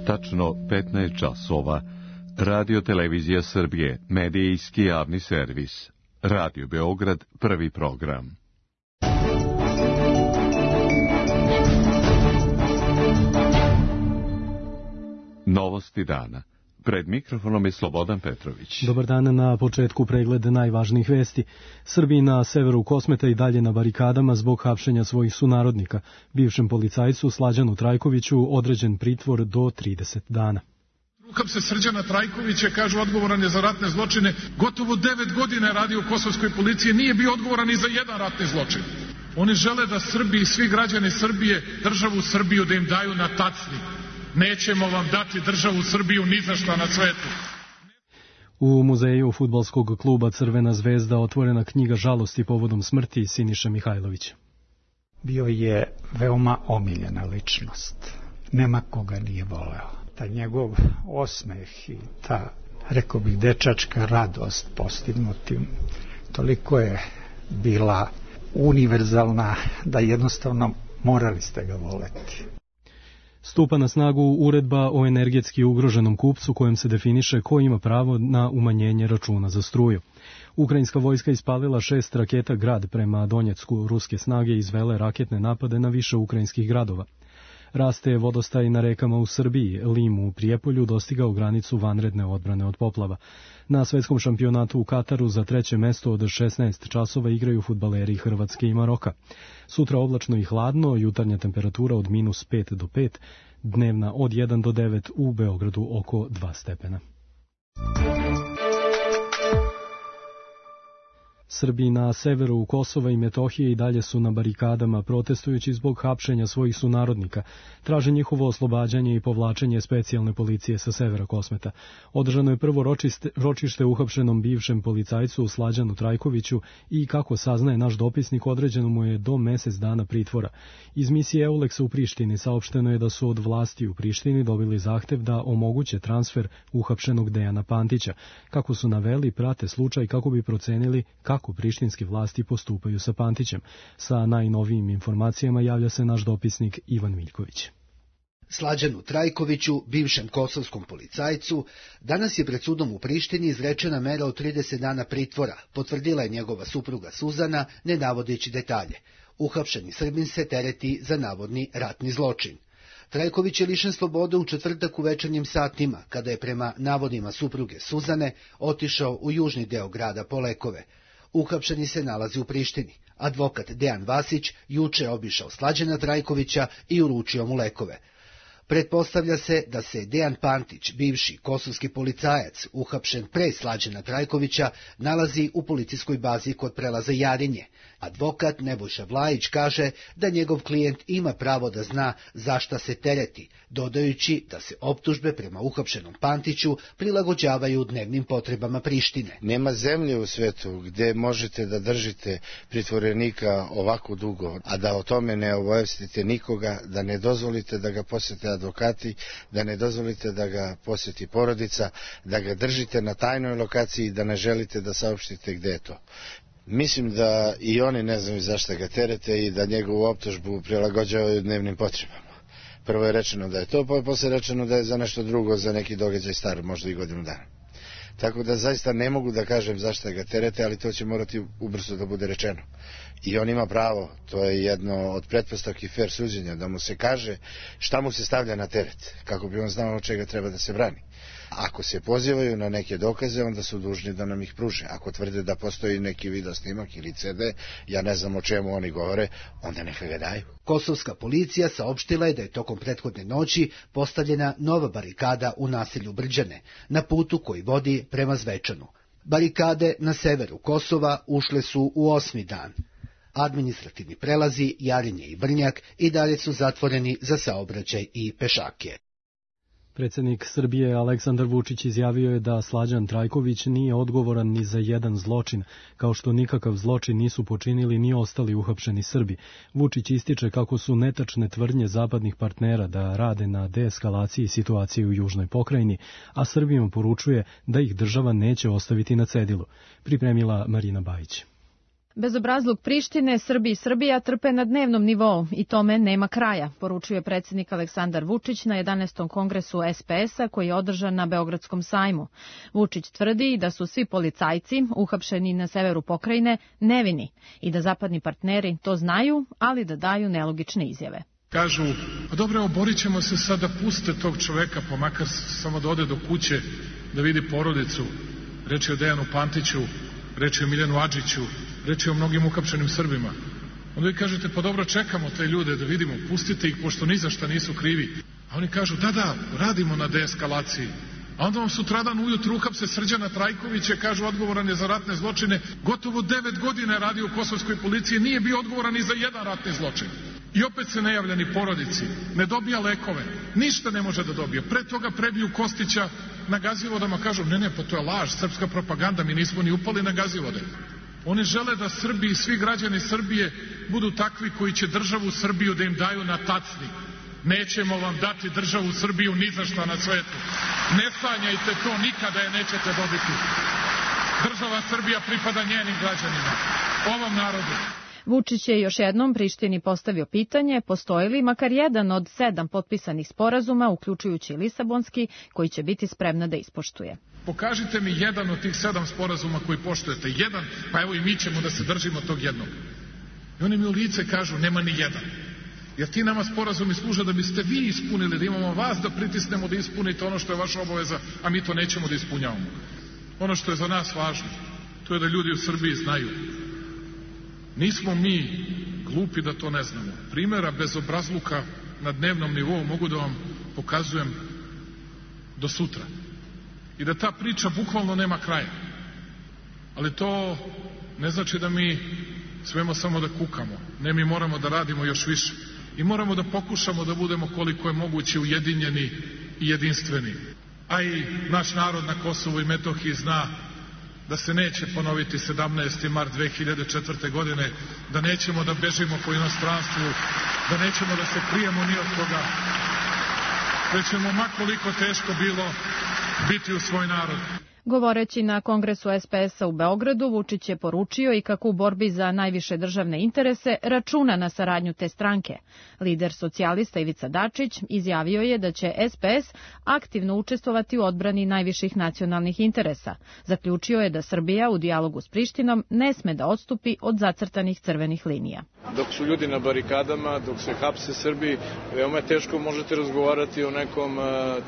Tačno 15 časova. Radio Televizija Srbije, medijski javni servis. Radio Beograd, prvi program. Novosti dana. Pred mikrofonom je Slobodan Petrović. Dobar dan, na početku pregled najvažnijih vesti. Srbi na severu Kosmeta i dalje na barikadama zbog hapšenja svojih sunarodnika. Bivšem policajcu Slađanu Trajkoviću određen pritvor do 30 dana. Uhapse Srđana Trajkovića, kažu odgovoran je za ratne zločine. Gotovo 9 godina je radio u kosovskoj policiji, nije bio odgovoran ni za jedan ratni zločin. Oni žele da Srbi i svi građani Srbije, državu Srbiju da im daju na tacni. Nećemo vam dati državu Srbiju ni za šta na svetu. U muzeju fudbalskog kluba Crvena zvezda otvorena knjiga žalosti povodom smrti Siniše Mihajlovića. Bio je veoma omiljena ličnost. Nema koga nije voleo. Ta njegov osmeh i ta, rekao bih, dečačka radost postignutim, toliko je bila univerzalna da jednostavno morali ste ga voleti. Stupa na snagu uredba o energetski ugroženom kupcu kojom se definiše ko ima pravo na umanjenje računa za struju. Ukrajinska vojska ispalila 6 raketa Grad prema Donjecku. Ruske snage izvele raketne napade na više ukrajinskih gradova. Raste vodostaj na rekama u Srbiji. Lim u Prijepolju dostigao granicu vanredne odbrane od poplava. Na svetskom šampionatu u Kataru za 3. mesto od 16 časova igraju fudbaleri Hrvatske i Maroka. Sutra oblačno i hladno, jutarnja temperatura od -5 do 5, dnevna od 1 do 9, u Beogradu oko 2 stepena. Srbi na severu Kosova i Metohije i dalje su na barikadama protestujući zbog hapšenja svojih sunarodnika. Traže njihovo oslobađanje i povlačenje specijalne policije sa severa Kosmeta. Održano je prvo ročište uhapšenom bivšem policajcu Slađanu Trajkoviću i, kako saznaje naš dopisnik, određeno mu je do mesec dana pritvora. Iz misije Euleksa u Prištini saopšteno je da su od vlasti u Prištini dobili zahtev da omoguće transfer uhapšenog Dejana Pantića. Kako su naveli, prate slučaj kako bi procenili kako prištinske vlasti postupaju sa Pantićem. Sa najnovijim informacijama javlja se naš dopisnik Ivan Miljković. Slađanu Trajkoviću, bivšem kosovskom policajcu, danas je pred sudom u Prištini izrečena mera od 30 dana pritvora, potvrdila je njegova supruga Suzana, ne navodeći detalje. Uhapšeni Srbin se tereti za navodni ratni zločin. Trajković je lišen slobode u četvrtak u večernjim satima, kada je prema navodima supruge Suzane otišao u južni deo grada po lekove. Uhapšeni se nalazi u Prištini. Advokat Dejan Vasić juče je obišao Slađana Trajkovića i uručio mu lekove. Pretpostavlja se da se Dejan Pantić, bivši kosovski policajac, uhapšen pre Slađana Trajkovića, nalazi u policijskoj bazi kod prelaza Jarinje. Advokat Nebojša Vlajić kaže da njegov klijent ima pravo da zna zašta se tereti, dodajući da se optužbe prema uhapšenom Pantiću prilagođavaju dnevnim potrebama Prištine. Nema zemlje u svetu gdje možete da držite pritvorenika ovako dugo, a da o tome ne obavestite nikoga, da ne dozvolite da ga posjete advokati, da ne dozvolite da ga posjeti porodica, da ga držite na tajnoj lokaciji i da ne želite da saopštite gdje je to. Mislim da i oni ne znaju zašto ga terete i da njegovu optužbu prilagođavaju dnevnim potrebama. Prvo je rečeno da je to, pa je posle rečeno da je za nešto drugo, za neki događaj star, možda i godinu dana. Tako da zaista ne mogu da kažem zašto ga terete, ali to će morati ubrzo da bude rečeno. I on ima pravo, to je jedno od pretpostavki fair suđenja, da mu se kaže šta mu se stavlja na teret, kako bi on znao od čega treba da se brani. Ako se pozivaju na neke dokaze, onda su dužni da nam ih pruže. Ako tvrde da postoji neki video snimak ili CD, ja ne znam o čemu oni govore, onda neka ga daju. Kosovska policija saopštila je da je tokom prethodne noći postavljena nova barikada u naselju Brđane, na putu koji vodi prema Zvečanu. Barikade na severu Kosova ušle su u 8. dan. Administrativni prelazi Jarinje i Brnjak i dalje su zatvoreni za saobraćaj i pešake. Predsjednik Srbije Aleksandar Vučić izjavio je da Slađan Trajković nije odgovoran ni za jedan zločin, kao što nikakav zločin nisu počinili ni ostali uhapšeni Srbi. Vučić ističe kako su netačne tvrdnje zapadnih partnera da rade na deeskalaciji situacije u južnoj pokrajini, a Srbijom poručuje da ih država neće ostaviti na cedilu. Pripremila Marina Bajić. Bezobrazluk Prištine, Srbi i Srbija trpe na dnevnom nivou i tome nema kraja, poručuje predsjednik Aleksandar Vučić na 11. kongresu SPS-a koji je održan na Beogradskom sajmu. Vučić tvrdi da su svi policajci uhapšeni na severu pokrajine nevini i da zapadni partneri to znaju, ali da daju nelogične izjave. Kažu, pa dobro, oborit ćemo se sad da puste tog čoveka, pa makar samo da ode do kuće, da vidi porodicu. Reč je o Dejanu Pantiću, reč je o Miljanu Adžiću, reč je o mnogim uhapšenim Srbima. Onda vi kažete, pa dobro, čekamo te ljude da vidimo, pustite ih, pošto ni za šta nisu krivi. A oni kažu, da, radimo na deeskalaciji. A onda vam sutradan ujutru uhapse Srđana Trajkovića, kažu, odgovoran je za ratne zločine. Gotovo 9 godina je radio u kosovskoj policiji, nije bio odgovoran ni za jedan ratni zločin. I opet se ne javlja ni porodici, ne dobija lekove, ništa ne može da dobije. Pre toga prebiju Kostića na Gazivodama, kažu, ne, pa to je laž, srpska propaganda, mi nismo ni upali na Gazivode. Oni žele da Srbi i svi građani Srbije budu takvi koji će državu Srbiju da im daju na tacni. Nećemo vam dati državu Srbiju ni za šta na svetu. Ne sanjajte to, nikada je nećete dobiti. Država Srbija pripada njenim građanima, ovom narodu. Vučić je još jednom Prištini postavio pitanje postoji li makar jedan od 7 potpisanih sporazuma, uključujući Lisabonski, koji će biti spremna da ispoštuje. Pokažite mi jedan od tih 7 sporazuma koji poštujete. Jedan, pa evo i mi ćemo da se držimo tog jednog. I oni mi u lice kažu, nema ni jedan. Jer ti nama sporazumi služe da biste vi ispunili, da imamo vas da pritisnemo da ispunite ono što je vaša obaveza, a mi to nećemo da ispunjavamo. Ono što je za nas važno, to je da ljudi u Srbiji znaju. Nismo mi glupi da to ne znamo. Primjera bezobrazluka na dnevnom nivou mogu da vam pokazujem do sutra. I da ta priča bukvalno nema kraja. Ali to ne znači da mi smemo samo da kukamo. Ne, mi moramo da radimo još više. I moramo da pokušamo da budemo koliko je moguće ujedinjeni i jedinstveni. A i naš narod na Kosovu i Metohiji zna da se neće ponoviti 17. mart 2004. godine, da nećemo da bežimo po inostranstvu, da nećemo da se krijemo ni od toga, da ćemo makoliko teško bilo biti u svoj narod. Govoreći na kongresu SPS-a u Beogradu, Vučić je poručio i kako u borbi za najviše državne interese računa na saradnju te stranke. Lider socijalista Ivica Dačić izjavio je da će SPS aktivno učestvovati u odbrani najviših nacionalnih interesa. Zaključio je da Srbija u dijalogu s Prištinom ne sme da odstupi od zacrtanih crvenih linija. Dok su ljudi na barikadama, dok se hapse Srbi, veoma teško možete razgovarati o nekom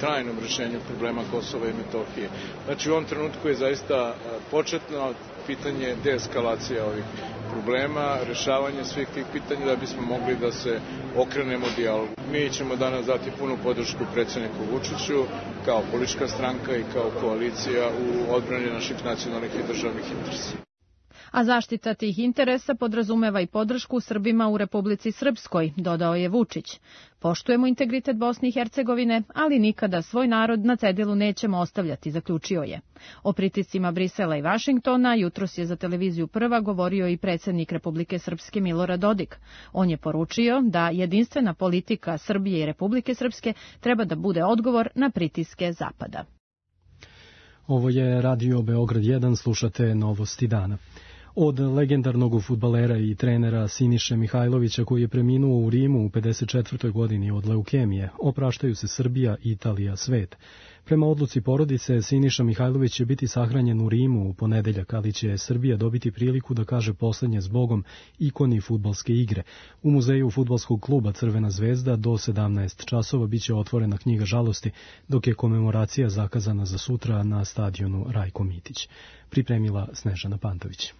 trajnom rešenju problema Kosova i Metohije. Znači u ovom trenutku je zaista početno pitanje deeskalacija ovih problema, rešavanje svih tih pitanja da bismo mogli da se okrenemo dijalogu. Mi ćemo danas dati punu podršku predsjedniku Vučiću kao politička stranka i kao koalicija u odbrani naših nacionalnih i državnih interesa. A zaštita tih interesa podrazumeva i podršku Srbima u Republici Srpskoj, dodao je Vučić. Poštujemo integritet Bosne i Hercegovine, ali nikada svoj narod na cedilu nećemo ostavljati, zaključio je. O pritiscima Brisela i Vašingtona jutros je za televiziju Prva govorio i predsjednik Republike Srpske Milorad Dodik. On je poručio da jedinstvena politika Srbije i Republike Srpske treba da bude odgovor na pritiske Zapada. Ovo je Radio Beograd 1, slušate Novosti dana. Od legendarnog fudbalera i trenera Siniše Mihajlovića koji je preminuo u Rimu u 54. godini od leukemije, opraštaju se Srbija, Italija, svet. Prema odluci porodice, Siniša Mihajlović će biti sahranjen u Rimu u ponedeljak, ali će Srbija dobiti priliku da kaže poslednje zbogom ikoni fudbalske igre. U muzeju fudbalskog kluba Crvena zvezda do 17 časova biće otvorena knjiga žalosti, dok je komemoracija zakazana za sutra na stadionu Rajko Mitić. Pripremila Snežana Pantović.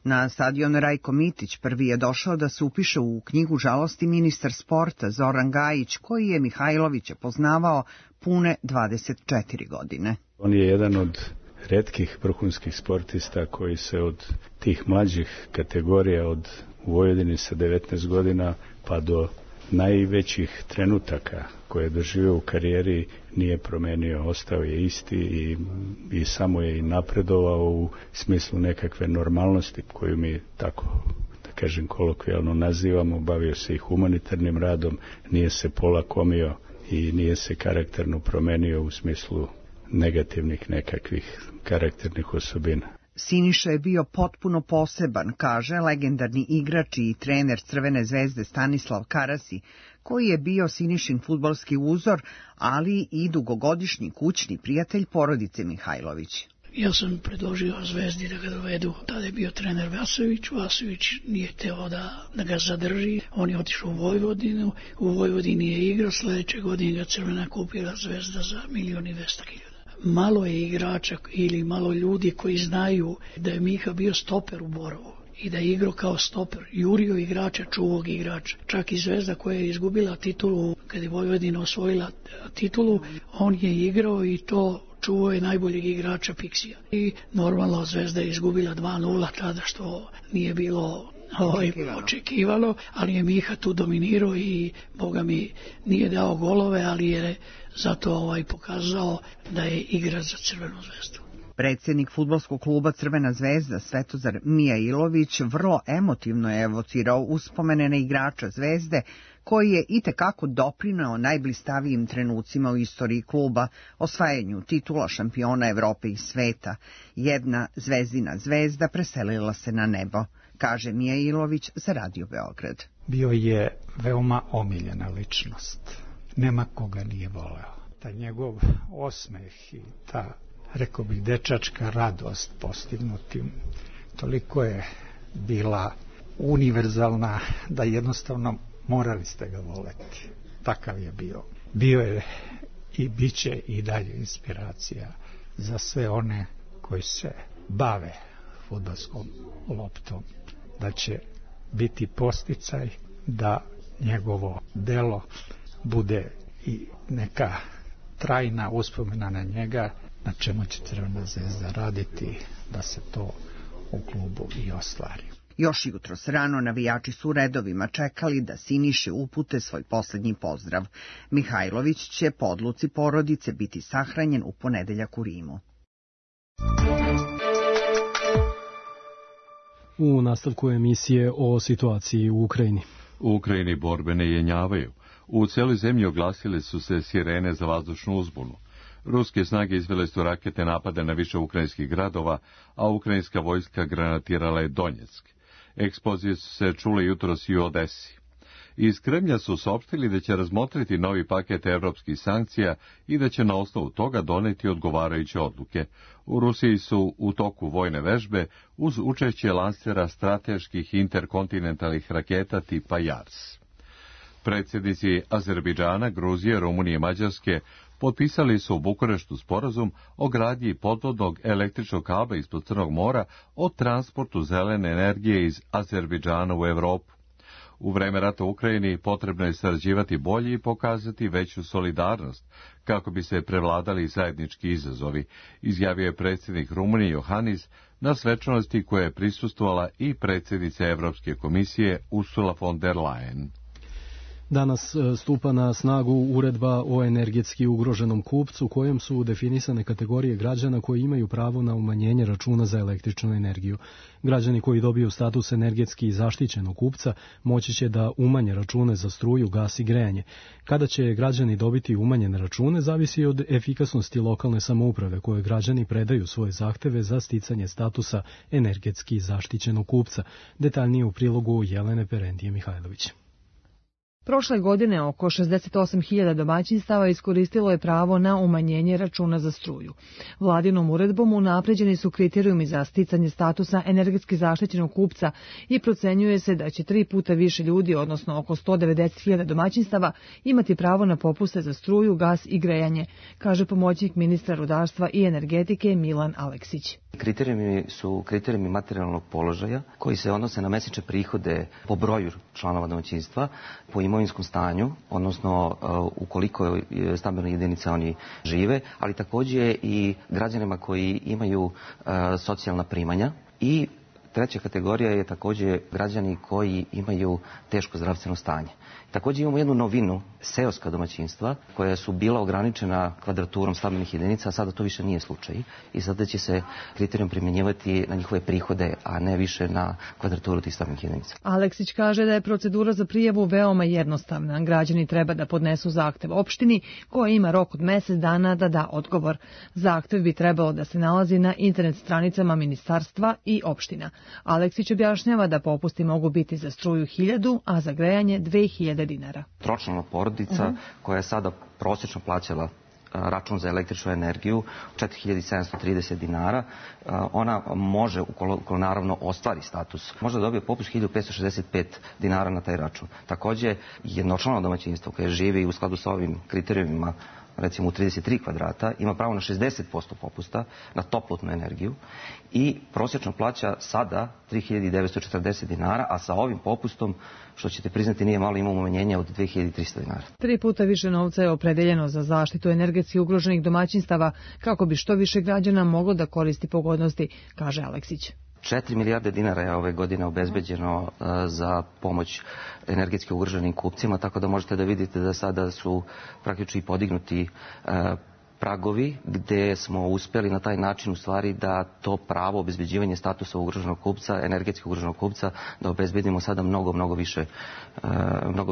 Na stadion Rajko Mitić prvi je došao da se upiše u knjigu žalosti ministar sporta Zoran Gajić, koji je Mihajlovića poznavao pune 24 godine. On je jedan od retkih vrhunskih sportista koji se od tih mlađih kategorija, od u Vojvodini sa 19 godina pa do najvećih trenutaka koje je doživio u karijeri nije promenio, ostao je isti i samo je i napredovao u smislu nekakve normalnosti koju mi tako, da kažem, kolokvijalno nazivamo. Bavio se i humanitarnim radom, nije se polakomio i nije se karakterno promenio u smislu negativnih nekakvih karakternih osobina. Siniša je bio potpuno poseban, kaže legendarni igrač i trener Crvene zvezde Stanislav Karasi, koji je bio Sinišin fudbalski uzor, ali i dugogodišnji kućni prijatelj porodice Mihajlović. Ja sam predložio Zvezdi da ga dovedu. Tada je bio trener Vasović. Vasović nije hteo da ga zadrži. On je otišao u Vojvodinu. U Vojvodini je igrao. Sledeće godine ga Crvena kupila Zvezda za 1.200.000. Malo je igrača ili malo ljudi koji znaju da je Miha bio stoper u Borovu i da je igrao kao stoper. Jurio igrača, čuvog igrača. Čak i Zvezda koja je izgubila titulu, kad je Vojvodina osvojila titulu, on je igrao i to čuvao je najboljeg igrača Piksija. I normalno Zvezda je izgubila 2-0 tada, što nije bilo očekivalo, ali je Miha tu dominirao i Boga mi nije dao golove, ali je zato pokazao da je igrač za Crvenu zvezdu. Predsjednik fudbalskog kluba Crvena zvezda Svetozar Mijailović vrlo emotivno je evocirao uspomene na igrača Zvezde, koji je itekako doprineo najblistavijim trenucima u istoriji kluba, osvajanju titula šampiona Evrope i sveta. Jedna Zvezdina zvezda preselila se na nebo, kaže Mijailović za Radio Beograd. Bio je veoma omiljena ličnost. Nema koga nije voleo. Ta njegov osmeh i ta, rekao bih, dečačka radost postignutim, toliko je bila univerzalna da jednostavno morali ste ga voleti. Takav je bio. Bio je i bit će i dalje inspiracija za sve one koji se bave fudbalskom loptom. Da će biti podsticaj da njegovo delo bude i neka trajna uspomena na njega, na čemu će Crvena zvezda raditi da se to u klubu i ostvari. Još jutros rano navijači su u redovima čekali da Siniše upute svoj posljednji pozdrav. Mihajlović će po odluci porodice biti sahranjen u ponedeljak u Rimu. U nastavku emisije o situaciji u Ukrajini. U Ukrajini borbe ne jenjavaju. U cijeloj zemlji oglasile su se sirene za vazdušnu uzbunu. Ruske snage izvele su rakete napade na više ukrajinskih gradova, a ukrajinska vojska granatirala je Donjeck. Eksplozije su se čule jutros i u Odesi. Iz Kremlja su saopštili da će razmotriti novi paket evropskih sankcija i da će na osnovu toga doneti odgovarajuće odluke. U Rusiji su u toku vojne vežbe uz učešće lansera strateških interkontinentalnih raketa tipa JARS. Predsjednici Azerbejdžana, Gruzije, Rumunije i Mađarske potpisali su u Bukureštu sporazum o gradnji podvodnog električnog kabla ispod Crnog mora o transportu zelene energije iz Azerbejdžana u Evropu. U vreme rata u Ukrajini potrebno je sarađivati bolje i pokazati veću solidarnost, kako bi se prevladali zajednički izazovi, izjavio je predsjednik Rumunije Johannis na svečanosti koje je prisustvovala i predsjednica Evropske komisije Ursula von der Leyen. Danas stupa na snagu uredba o energetski ugroženom kupcu, kojom su definisane kategorije građana koji imaju pravo na umanjenje računa za električnu energiju. Građani koji dobiju status energetski zaštićenog kupca moći će da umanje račune za struju, gas i grejanje. Kada će građani dobiti umanjene račune zavisi od efikasnosti lokalne samouprave koje građani predaju svoje zahteve za sticanje statusa energetski zaštićenog kupca. Detaljnije u prilogu Jelene Perendije Mihajlović. Prošle godine oko 68.000 domaćinstava iskoristilo je pravo na umanjenje računa za struju. Vladinom uredbom unapređeni su kriterijumi za sticanje statusa energetski zaštićenog kupca i procenjuje se da će 3 puta više ljudi, odnosno oko 190.000 domaćinstava, imati pravo na popuste za struju, gas i grejanje, kaže pomoćnik ministra rudarstva i energetike Milan Aleksić. Kriterijumi su kriterijumi materijalnog položaja koji se odnose na mesečne prihode po broju članova domaćinstva, po imovinskom stanju, odnosno ukoliko stambene jedinice oni žive, ali također i građanima koji imaju socijalna primanja. I treća kategorija je također građani koji imaju teško zdravstveno stanje. Također imamo jednu novinu seoska domaćinstva koja su bila ograničena kvadraturom stambenih jedinica, a sada to više nije slučaj i sada će se kriterijum primjenjivati na njihove prihode, a ne više na kvadraturu tih stambenih jedinica. Aleksić kaže da je procedura za prijavu veoma jednostavna. Građani treba da podnesu zahtev opštini koja ima rok od mesec dana da da odgovor. Zahtev bi trebalo da se nalazi na internet stranicama ministarstva i opština. Aleksić objašnjava da popusti mogu biti za struju 1.000, a za grejanje 2.000 dinara. Tročlana porodica koja je sada prosječno plaćala račun za električnu energiju 4.730 dinara, ona može, ukoliko naravno ostvari status, može da dobije popust 1.565 dinara na taj račun. Takođe, jednočlano domaćinstvo koje živi u skladu sa ovim kriterijumima, recimo u 33 kvadrata, ima pravo na 60% popusta na toplotnu energiju i prosječno plaća sada 3.940 dinara, a sa ovim popustom, što ćete priznati nije malo, imamo umanjenje od 2.300 dinara. 3 puta više novca je opredeljeno za zaštitu energetski ugroženih domaćinstava kako bi što više građana moglo da koristi pogodnosti, kaže Aleksić. 4 milijarde dinara je ove godine obezbeđeno za pomoć energetski ugroženim kupcima, tako da možete da vidite da sada su praktično i podignuti pragovi gde smo uspeli na taj način u stvari da to pravo obezbeđivanje statusa ugroženog kupca, energetski ugroženog kupca, da obezbedimo sada mnogo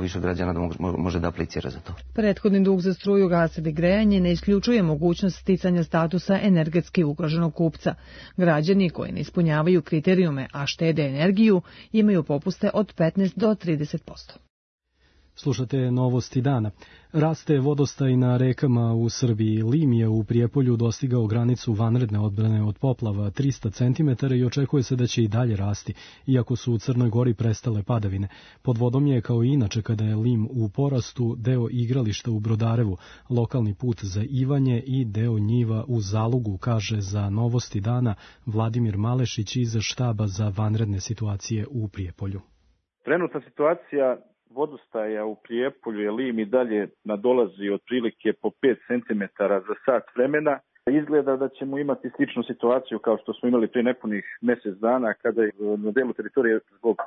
više građana da može da aplicira za to. Prethodni dug za struju, gas ili grejanje ne isključuje mogućnost sticanja statusa energetski ugroženog kupca. Građani koji ne ispunjavaju kriterijume, a štede energiju, imaju popuste od 15 do 30%. Slušate novosti dana. Raste vodostaj na rekama u Srbiji. Lim je u Prijepolju dostigao granicu vanredne odbrane od poplava 300 cm i očekuje se da će i dalje rasti, iako su u Crnoj Gori prestale padavine. Pod vodom je, kao i inače kada je Lim u porastu, deo igrališta u Brodarevu, lokalni put za Ivanje i deo njiva u Zalugu, kaže za novosti dana Vladimir Malešić iz štaba za vanredne situacije u Prijepolju. Trenutna situacija vodostaja u Prijepolju je Lim i dalje nadolazi otprilike po 5 cm za sat vremena. Izgleda da ćemo imati sličnu situaciju kao što smo imali prije nepunih mjesec dana kada je na delu teritorije zbog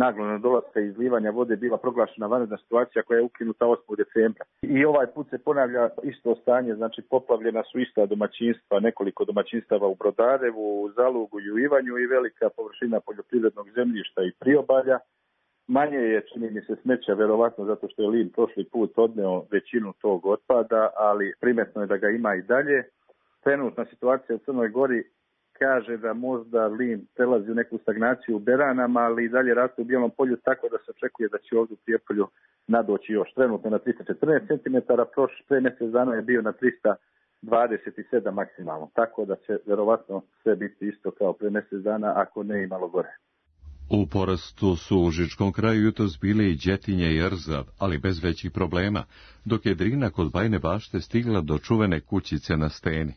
naglog nadolaska i izlivanja vode bila proglašena vanredna situacija koja je ukinuta 8. decembra. I ovaj put se ponavlja isto stanje, znači poplavljena su ista domaćinstva, nekoliko domaćinstava u Brodarevu, u Zalugu i u Ivanju i velika površina poljoprivrednog zemljišta i priobalja. Manje je, čini mi se, smeća, verovatno zato što je Lim prošli put odneo većinu tog otpada, ali primetno je da ga ima i dalje. Trenutna situacija u Crnoj Gori kaže da možda Lim prelazi u neku stagnaciju u Beranama, ali i dalje raste u Bijelom Polju, tako da se očekuje da će ovdje u Prijepolju nadoći još. Trenutno na 314 cm, pre mjesec dana je bio na 327 maksimalno, tako da će verovatno sve biti isto kao pre mjesec dana, ako ne i malo gore. U porastu su u Užičkom kraju jutros bile i Đetinje i Rzav, ali bez većih problema, dok je Drina kod Bajne Bašte stigla do čuvene kućice na Steni.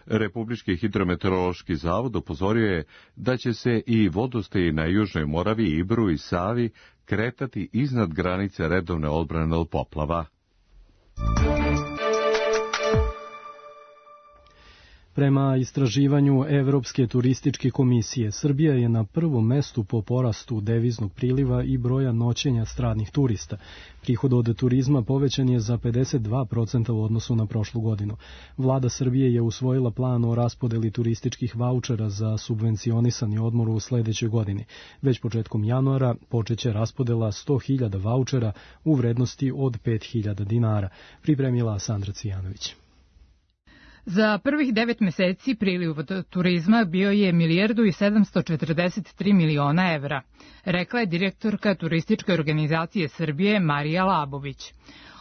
Republički hidrometeorološki zavod upozorio je da će se i vodostaji na Južnoj Moravi, Ibru i Savi kretati iznad granice redovne odbrane od poplava. Prema istraživanju Evropske turističke komisije, Srbija je na prvom mestu po porastu deviznog priliva i broja noćenja stranih turista. Prihod od turizma povećan je za 52% u odnosu na prošlu godinu. Vlada Srbije je usvojila plan o raspodeli turističkih vaučera za subvencionisani odmor u sledećoj godini. Već početkom januara počeće raspodela 100.000 vaučera u vrednosti od 5.000 dinara, pripremila Sandra Cijanović. Za prvih 9 meseci priliv od turizma bio je 1.743 miliona evra, rekla je direktorka Turističke organizacije Srbije Marija Labović.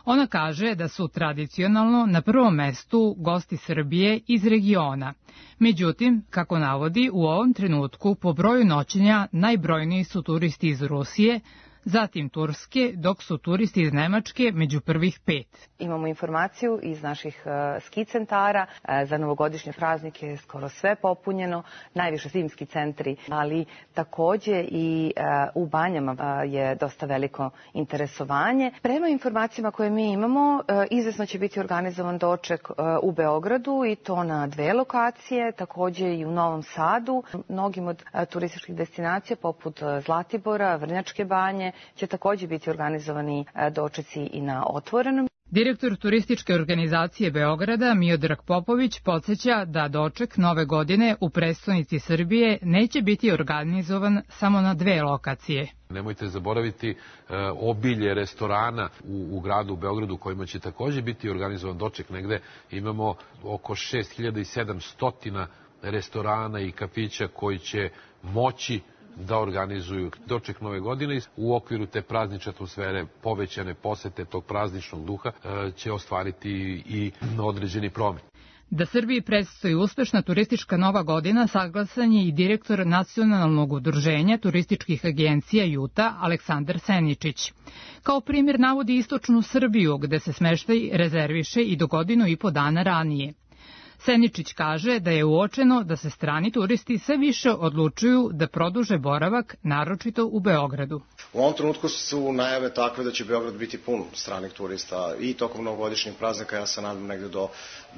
Ona kaže da su tradicionalno na prvom mestu gosti Srbije iz regiona. Međutim, kako navodi, u ovom trenutku po broju noćenja najbrojniji su turisti iz Rusije, zatim Turske, dok su turisti iz Nemačke među prvih 5. Imamo informaciju iz naših ski centara. Za novogodišnje praznike je skoro sve popunjeno, najviše zimski centri, ali takođe i u banjama je dosta veliko interesovanje. Prema informacijama koje mi imamo, izvesno će biti organizovan doček u Beogradu i to na 2 lokacije, takođe i u Novom Sadu. Mnogim od turističkih destinacija poput Zlatibora, Vrnjačke banje, će takođe biti organizovani dočeci i na otvorenom. Direktor turističke organizacije Beograda Miodrag Popović podsjeća da doček Nove godine u prestonici Srbije neće biti organizovan samo na 2 lokacije. Nemojte zaboraviti obilje restorana u gradu Beogradu kojima će takođe biti organizovan doček. Negde imamo oko 6700 restorana i kafića koji će moći da organizuju doček Nove godine. U okviru te praznične atmosfere, povećane posete tog prazničnog duha će ostvariti i određeni promet. Da Srbiji predstoji uspešna turistička Nova godina saglasan je i direktor Nacionalnog udruženja turističkih agencija JUTA Aleksandar Seničić. Kao primjer navodi istočnu Srbiju gde se smeštaj rezerviše i do 1,5 godina ranije. Seničić kaže da je uočeno da se strani turisti sve više odlučuju da produže boravak, naročito u Beogradu. U ovom trenutku su najave takve da će Beograd biti pun stranih turista i tokom novogodišnjeg praznika, ja se nadam negde do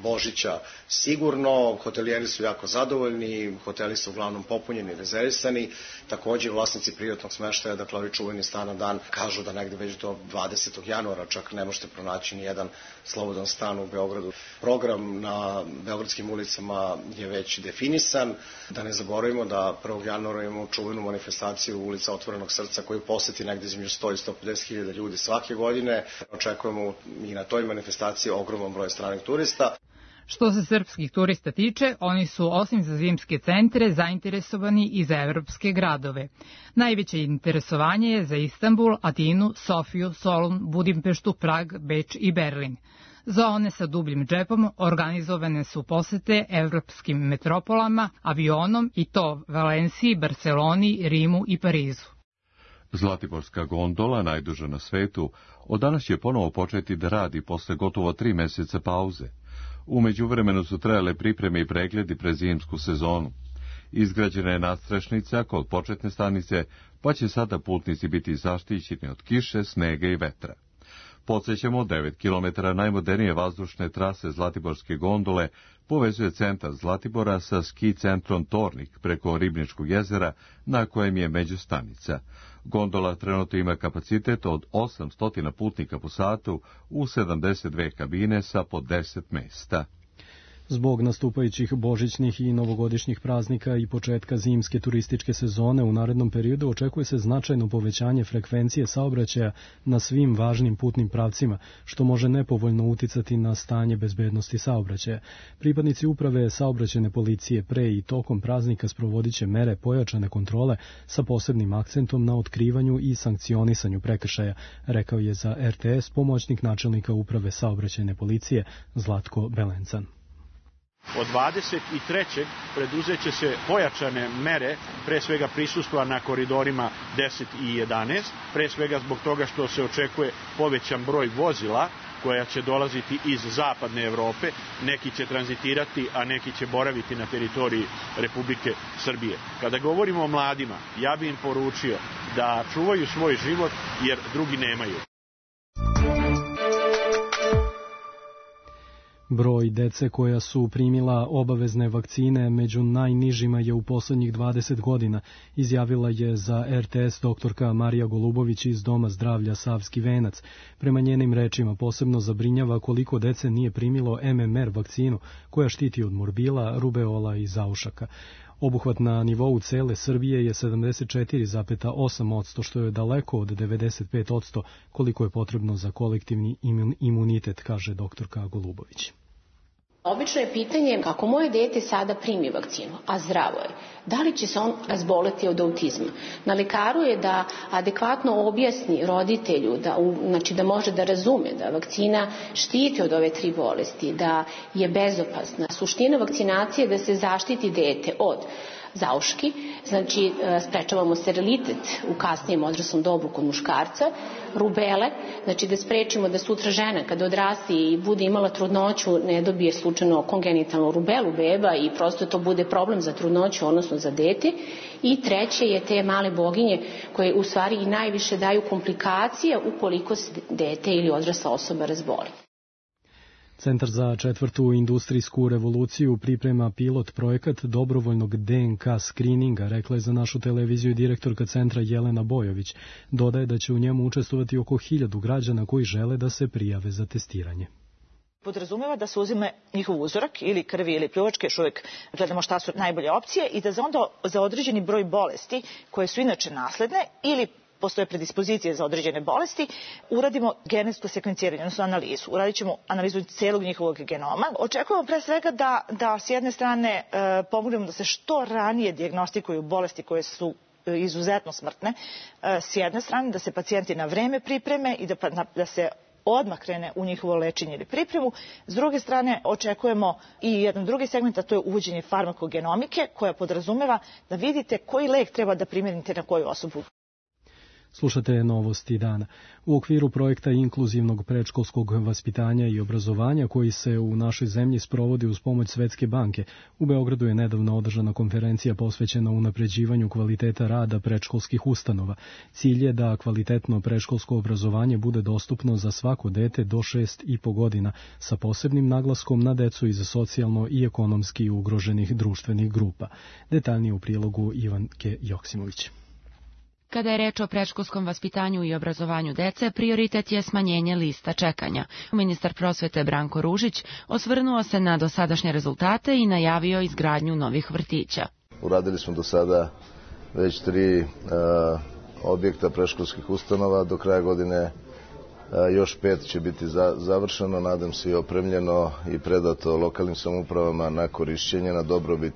Božića. Sigurno, hotelijeri su jako zadovoljni, hoteli su uglavnom popunjeni, rezervisani. Takođe, vlasnici privatnog smeštaja, dakle ovi čuveni stan na dan, kažu da negde već do 20. januara čak ne možete pronaći ni jedan slobodan stan u Beogradu. Program na beogradskim ulicama je već definisan. Da ne zaboravimo da 1. januara imamo čuvenu manifestaciju ulica Otvorenog srca koju poseti negde između 100 i 150 hiljada ljudi svake godine. Očekujemo i na toj manifestaciji ogroman broj stranih turista. Što se srpskih turista tiče, oni su osim za zimske centre zainteresovani i za evropske gradove. Najveće interesovanje je za Istanbul, Atinu, Sofiju, Solun, Budimpeštu, Prag, Beč i Berlin. Za one sa dubljim džepom organizovane su posete evropskim metropolama, avionom i to Valenciji, Barceloni, Rimu i Parizu. Zlatiborska gondola, najduža na svetu, od danas će ponovo početi da radi posle gotovo 3 meseca pauze. U međuvremenu su trajale pripreme i pregledi pred zimsku sezonu. Izgrađena je nadstrešnica kod početne stanice, pa će sada putnici biti zaštićeni od kiše, snega i vetra. Podsećamo, 9 km najmodernije vazdušne trase Zlatiborske gondole povezuje centar Zlatibora sa ski centrom Tornik preko Ribničkog jezera, na kojem je međustanica. Gondola trenutno ima kapacitet od 800 putnika po satu u 72 kabine sa po 10 mesta. Zbog nastupajućih božićnih i novogodišnjih praznika i početka zimske turističke sezone u narednom periodu očekuje se značajno povećanje frekvencije saobraćaja na svim važnim putnim pravcima, što može nepovoljno uticati na stanje bezbednosti saobraćaja. Pripadnici uprave saobraćajne policije pre i tokom praznika sprovodiće mere pojačane kontrole sa posebnim akcentom na otkrivanju i sankcionisanju prekršaja, rekao je za RTS pomoćnik načelnika uprave saobraćajne policije Zlatko Belencan. Od 23. preduzeće se pojačane mere, pre svega prisustva na koridorima 10 i 11, pre svega zbog toga što se očekuje povećan broj vozila koja će dolaziti iz zapadne Evrope, neki će tranzitirati, a neki će boraviti na teritoriji Republike Srbije. Kada govorimo o mladima, ja bih im poručio da čuvaju svoj život jer drugi nemaju. Broj dece koja su primila obavezne vakcine među najnižima je u poslednjih 20 godina, izjavila je za RTS doktorka Marija Golubović iz Doma zdravlja Savski Venac. Prema njenim rečima posebno zabrinjava koliko dece nije primilo MMR vakcinu koja štiti od morbila, rubeola i zaušaka. Obuhvat na nivou cele Srbije je 74,8%, što je daleko od 95% koliko je potrebno za kolektivni imunitet, kaže doktorka Golubović. Obično je pitanje kako moje dete sada primi vakcinu, a zdravo je. Da li će se on razboleti od autizma? Na lekaru je da adekvatno objasni roditelju, da može da razume da vakcina štiti od ove 3 bolesti, da je bezopasna. Suština vakcinacije je da se zaštiti dete od zauški, znači sprečavamo sterilitet u kasnijem odraslom dobu kod muškarca, rubele, znači da sprečimo da sutra žena kada odrasti i bude imala trudnoću ne dobije slučajno kongenitalnu rubelu beba i prosto to bude problem za trudnoću, odnosno za dete. I treće je te male boginje koje u stvari i najviše daju komplikacije ukoliko se dete ili odrasla osoba razboli. Centar za četvrtu industrijsku revoluciju priprema pilot projekat dobrovoljnog DNK skrininga, rekla je za našu televiziju direktorka centra Jelena Bojović. Dodaje da će u njemu učestvovati oko 1000 građana koji žele da se prijave za testiranje. Podrazumeva da se uzime njihov uzorak ili krvi ili pljuvačke, još uvijek gledamo šta su najbolje opcije i da onda za određeni broj bolesti koje su inače nasledne ili postoje predispozicije za određene bolesti, uradimo genetsko sekvenciranje, odnosno analizu. Uradit ćemo analizu celog njihovog genoma. Očekujemo pre svega da s jedne strane pomognemo da se što ranije dijagnostikuju bolesti koje su izuzetno smrtne, s jedne strane da se pacijenti na vreme pripreme i da se odmah krene u njihovo lečenje ili pripremu. S druge strane, očekujemo i jedan drugi segment, a to je uvođenje farmakogenomike, koja podrazumeva da vidite koji lek treba da primenite na koju osobu. Slušate novosti dana. U okviru projekta inkluzivnog predškolskog vaspitanja i obrazovanja koji se u našoj zemlji sprovodi uz pomoć Svetske banke, u Beogradu je nedavno održana konferencija posvećena unapređivanju kvaliteta rada predškolskih ustanova. Cilj je da kvalitetno predškolsko obrazovanje bude dostupno za svako dete do 6,5 godina, sa posebnim naglaskom na decu iz socijalno i ekonomski ugroženih društvenih grupa. Detaljnije u prilogu Ivanke Joksimović. Kada je reč o predškolskom vaspitanju i obrazovanju dece, prioritet je smanjenje lista čekanja. Ministar prosvete Branko Ružić osvrnuo se na dosadašnje rezultate i najavio izgradnju novih vrtića. Uradili smo do sada već 3 objekta predškolskih ustanova, do kraja godine još 5 će biti završeno, nadam se i opremljeno i predato lokalnim samoupravama na korišćenje, na dobrobit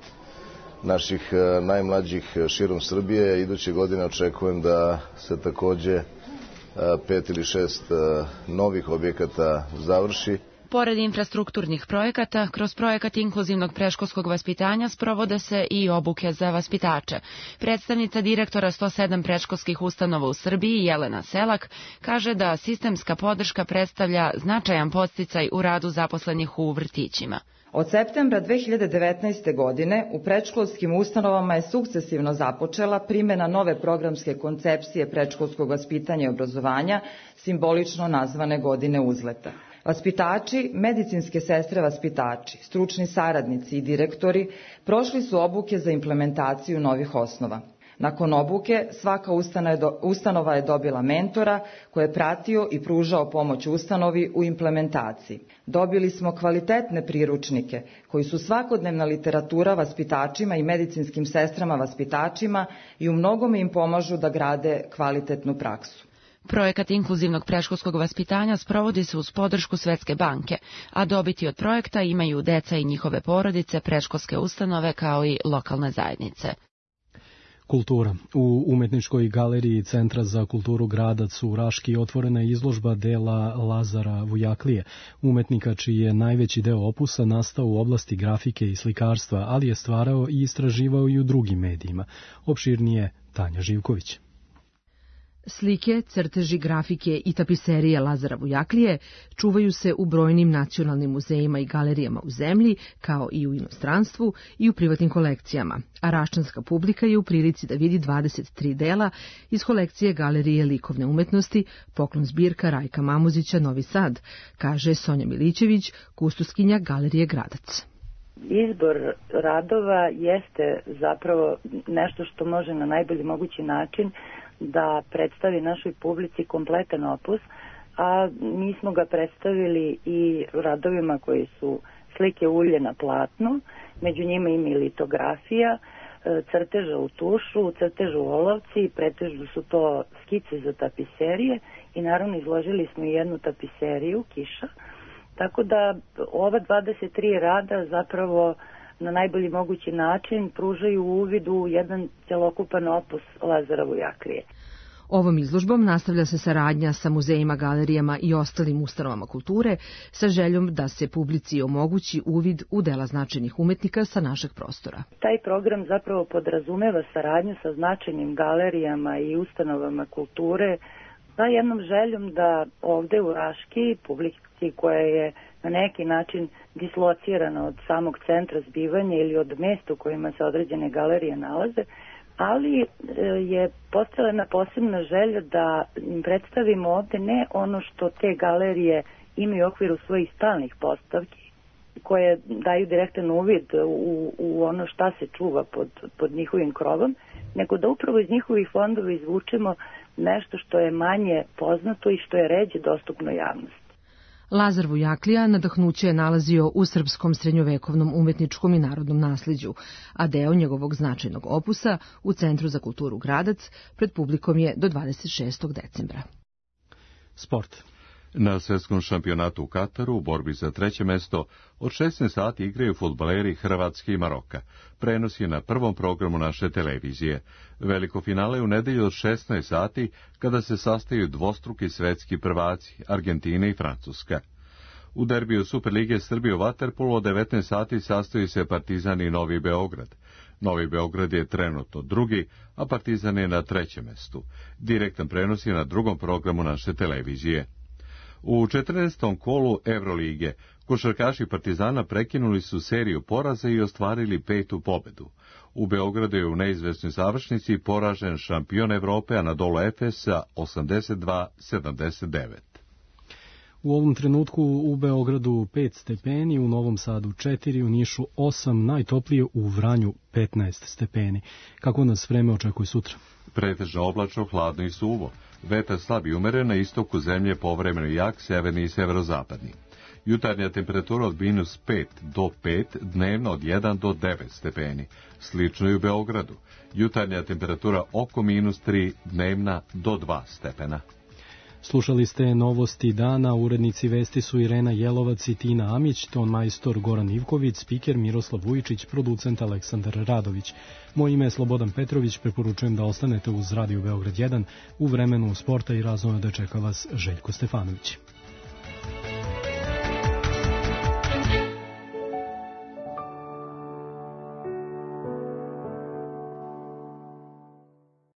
naših najmlađih širom Srbije. Iduće godine očekujem da se takođe 5 ili 6 novih objekata završi. Pored infrastrukturnih projekata, kroz projekat inkluzivnog predškolskog vaspitanja sprovode se i obuke za vaspitače. Predstavnica direktora 107 predškolskih ustanova u Srbiji, Jelena Selak, kaže da sistemska podrška predstavlja značajan podsticaj u radu zaposlenih u vrtićima. Od septembra 2019. godine u predškolskim ustanovama je sukcesivno započela primjena nove programske koncepcije predškolskog vaspitanja i obrazovanja, simbolično nazvane godine uzleta. Vaspitači, medicinske sestre vaspitači, stručni saradnici i direktori prošli su obuke za implementaciju novih osnova. Nakon obuke, svaka ustanova je dobila mentora koji je pratio i pružao pomoć ustanovi u implementaciji. Dobili smo kvalitetne priručnike koji su svakodnevna literatura vaspitačima i medicinskim sestrama vaspitačima i u mnogome im pomažu da grade kvalitetnu praksu. Projekat inkluzivnog predškolskog vaspitanja sprovodi se uz podršku Svetske banke, a dobiti od projekta imaju deca i njihove porodice, predškolske ustanove kao i lokalne zajednice. Kultura. U Umetničkoj galeriji Centra za kulturu Gradac u Raški otvorena je izložba dela Lazara Vujaklije, umetnika čiji je najveći deo opusa nastao u oblasti grafike i slikarstva, ali je stvarao i istraživao i u drugim medijima. Opširnije Tanja Živković. Slike, crteži, grafike i tapiserije Lazara Vujaklije čuvaju se u brojnim nacionalnim muzejima i galerijama u zemlji, kao i u inostranstvu i u privatnim kolekcijama, a raščanska publika je u prilici da vidi 23 dela iz kolekcije Galerije likovne umetnosti, poklon zbirka Rajka Mamuzića, Novi Sad, kaže Sonja Milićević, kustuskinja Galerije Gradac. Izbor radova jeste zapravo nešto što može na najbolji mogući način da predstavi našoj publici kompletan opus, a mi smo ga predstavili i radovima koji su slike ulje na platnu, među njima ima i litografija, crteža u tušu, crteža u olovci, pretežno su to skice za tapiserije i naravno izložili smo i jednu tapiseriju, Kiša, tako da ova 23 rada zapravo na najbolji mogući način pružaju uvid u jedan celokupan opus Lazara Vujaklije. Ovom izložbom nastavlja se saradnja sa muzejima, galerijama i ostalim ustanovama kulture sa željom da se publici omogući uvid u dela značajnih umetnika sa našeg prostora. Taj program zapravo podrazumeva saradnju sa značajnim galerijama i ustanovama kulture sa jednom željom da ovde u Raški publici koja je na neki način dislocirana od samog centra zbivanja ili od mesta u kojima se određene galerije nalaze, ali je postojala posebna želja da im predstavimo ovde ne ono što te galerije imaju u okviru svojih stalnih postavki koje daju direktan uvid u ono šta se čuva pod njihovim krovom, nego da upravo iz njihovih fondova izvučemo nešto što je manje poznato i što je ređe dostupno javnosti. Lazar Vujaklija nadahnuće je nalazio u srpskom srednjovekovnom umetničkom i narodnom nasliđu, a deo njegovog značajnog opusa u Centru za kulturu Gradac pred publikom je do 26. decembra. Sport. Na svjetskom šampionatu u Kataru u borbi za treće mesto od 16 sati igraju fudbaleri Hrvatske i Maroka. Prenos je na prvom programu naše televizije. Veliko finale u nedelju od 16 sati kada se sastaju dvostruki svetski prvaci Argentina i Francuska. U derbiju Superlige Srbije u vaterpolu od 19 sati sastaju se Partizan i Novi Beograd. Novi Beograd je trenutno drugi, a Partizan je na trećem mestu. Direktan prenos je na drugom programu naše televizije. U 14. kolu Evrolige košarkaši Partizana prekinuli su seriju poraza i ostvarili 5. pobedu. U Beogradu je u neizvesnoj završnici poražen šampion Evrope Anadolu Efes sa 82-79. U ovom trenutku u Beogradu 5 stepeni, u Novom Sadu 4, u Nišu 8, najtoplije u Vranju 15 stepeni. Kako nas vreme očekuje sutra? Pretežno oblačno, hladno i suvo. Vetar slab i umeren, na istoku zemlje povremeno jak, severni i severozapadni. Jutarnja temperatura od -5 do 5, dnevno od 1 do 9 stepeni. Slično i u Beogradu. Jutarnja temperatura oko -3, dnevna do 2 stepena. Slušali ste novosti dana, urednici vesti su Irena Jelovac i Tina Amić, ton majstor Goran Ivković, spiker Miroslav Vujičić, producent Aleksandar Radović. Moje ime je Slobodan Petrović, preporučujem da ostanete uz Radio Beograd 1, u vremenu sporta i razvoja da čeka vas Željko Stefanović.